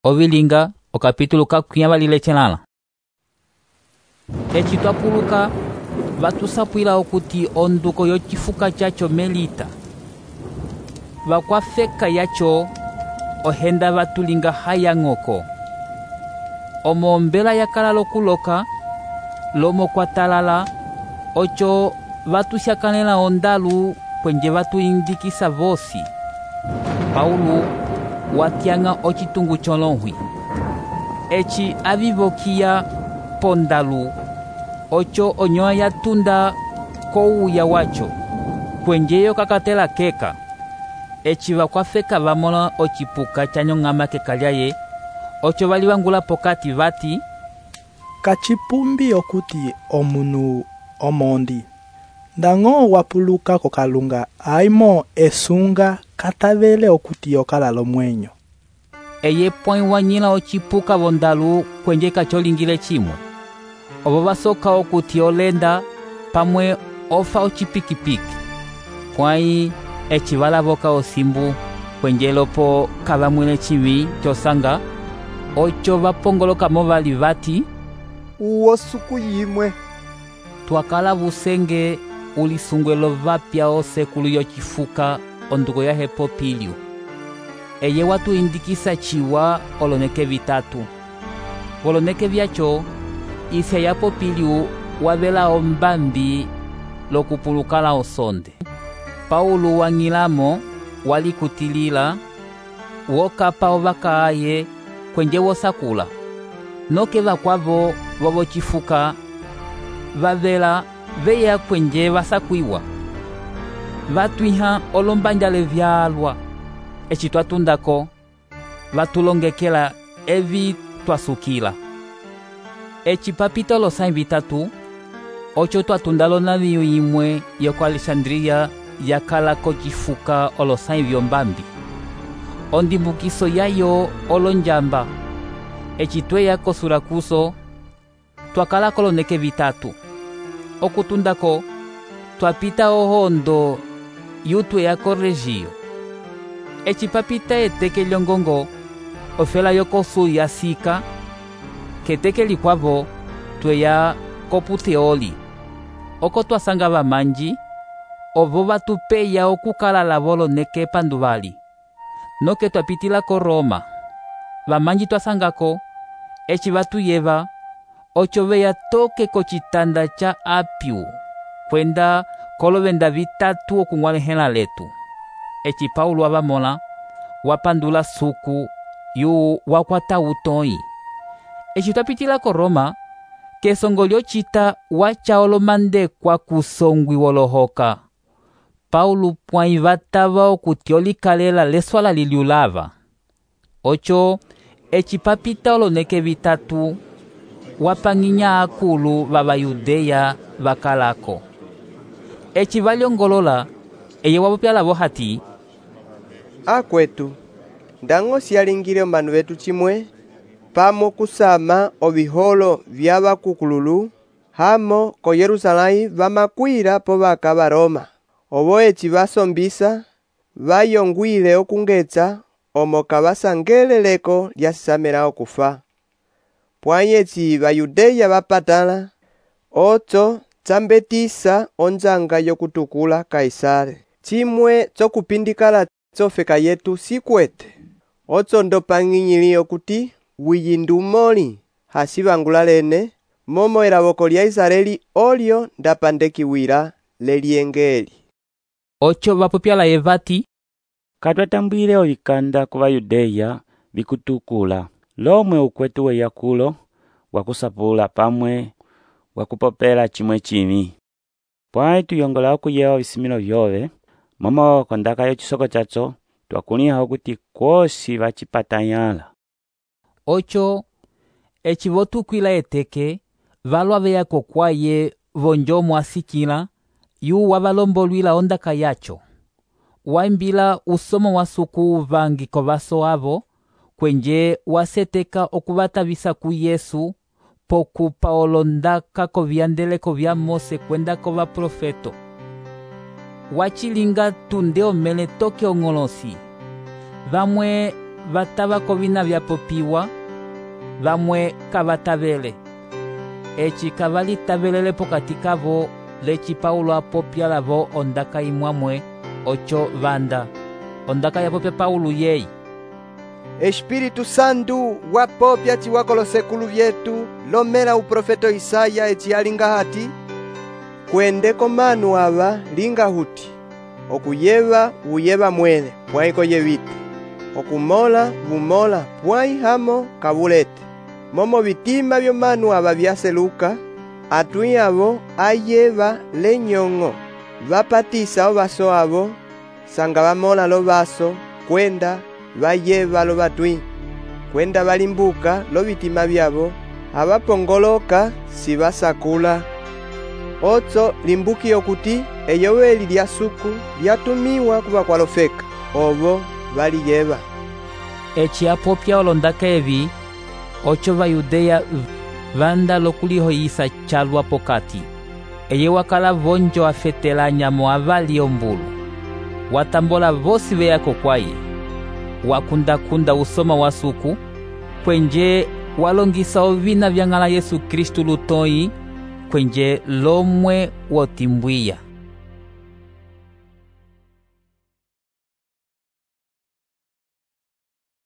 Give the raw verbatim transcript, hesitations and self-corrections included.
Ovilinga okapitulo kakwiyavalile chelala. Eci twapuluka vatusapwila okuti onduko yocifuka chacho Melita vakwafeka yacho ohenda vatulinga hayang'oko omo ombela yakala lokuloka lomo kwatalala ocho vatusyakanela ondalu kwenje vatuyindikisa vosi. Paulo watyang'a ocitungu cholohwi eci avivokiya pondalu ocho onyoa yatunda kouya wacho kwenjeyo kakatela keka eci vakwafeka vamona ocipuka chanyong'ama keka lyaye ocho valivangula pokati vati, kacipumbi okuti omunu omondi ndañgo wapuluka kokalunga aimo esunga katavele okuti okala lomwenyo. Eye pwãyi wanyila ocipuka vondalu kwenje kacholingile chimwe ovo vasoka okuti olenda pamwe ofa ocipikipiki pwãyi eci valavoka osimbu kwenje lopo kavamwile civi cosanga ocho vapongolokamo vali vati, uwo suku yimwe. Twakala vusenge ulisungwelo vapya osekulu yocifuka onduko ya Hepopilio. Eye watuyindikisa ciwa oloneke vitatu. Voloneke vyacho isya ya Popilio wavela ombambi lokupulukala osonde. Paulo wang'ilamo walikutilila wokapa ovakaaye kwenje wosakula noke vakwavo vovocifuka vavela veya kwenje vasakwiwa vatwiha olombanjale vyalwa eci twatundako vatulongekela evi twasukila. Eci papita olosãyi vitatu ocho twatunda lonaviyo yimwe yoko Alexandria yakala kocifuka olosãyi vyombambi ondimbukiso yayo olonjamba eci tweya ko Surakuso twakala koloneke vitatu okutundako twapita ohondo yutweya ko Regio eci papita eteke lyongongo ofela yokosu yasika keteke likwavo tweya ko Puteoli oko twasanga vamanji ovo vatupeya okukala lavo oloneke panduvali noke twapitila ko Roma vamanji twasangako eci vatuyeva ocho veya toke kocitanda cha Apio kwenda kolovenda vitatu okung'walehela letu. Eci Paulo avamona wapandula suku yu wakwata utoyi. Eci twapitila ko Roma kesongo lyocita wacha olomandekwa kusongwi wolohoka Paulo pwãyi vatava okuti olikalela leswala liliulava ocho eci papita oloneke vitatu wapang'inya akulu vavayudeya vakalako eci valyongolola eye wapopya lavo hati, akwetu ndañgo siyalingile omanu vetu cimwe pamo kusama oviholo vya vakukululu hamo ko Yerusalãyi vamakwila po vaka va Roma ovo eci vasombisa vayongwile okungetsa omo kavasangeleleko lyasisamela okufa pwãyi eci vayudeya vapatala ocho tsambetisa onjanga yokutukula Kaisare cimwe cokupindikala tsofeka yetu sikwete ocho ndopang'inyili okuti wiyindumoli hasivangula lene momo elavoko lya Israeli olyo ndapandekiwila lelyengeli. Ocho vapopya laye vati, katwatambwile ovikanda ku Vayudeya vikutukula lomwe ukwetu weyakulo wakusapula pamwe wakupopela cimwe cimi pwãyi tuyongola okuyewa ovisimilo vyove momo kondaka yocisoko chacho twakuliha okuti kwosi vacipatanyala. Ocho eci votukwila eteke valwa veya kokwaye vonjomo asikila yu wavalombolwila ondaka yacho waimbila usomo wa suku uvangi kovaso avo kwenje waseteka okuvatavisa ku Yesu pokupa olondaka kovyandeleko vya Mose kwenda kovaprofeto wachilinga tunde omele toke ong'olosi vamwe vatava kovina vyapopiwa, vamwe kavatavele. Eci kavalitavele pokati kavo, leci Paulo apopya lavo ondaka imwamwe, ocho vanda. Ondaka yapopya Paulo yeyi: Espírito Santo wapopya ciwakolo sekulu vyetu lomela uprofeto Isaya eci alinga hati: Kwendeko manu ava linga huti, okuyeva uyeva mwele pwaiko yevita, okumola vumola pwai hamo kavulete. Momo vitima vyo manu ava vyaseluka, atui avo ayeva lenyong'o, vapatisa ovaso avo, sanga vamola lo vaso, kwenda vayeva lo vatui, kwenda valimbuka lo vitima vyavo, avapongoloka si vasakula. Otso limbuki okuti eyoweli lya suku lyatumiwa kuva kwalofeka, ovo valiyeva. Eci apopya olondaka evi, ocho Vayudeya vanda lokulihoyisa calwa pokati. Eye wakala vonjo afetela anyamo avali ombulu. Watambola vosi veyako kwaye. Wakundakunda usoma wa suku, kwenje walongisa ovina vyang'ala Yesu Kristu lutoi, kwenje lomwe wotimbwiya.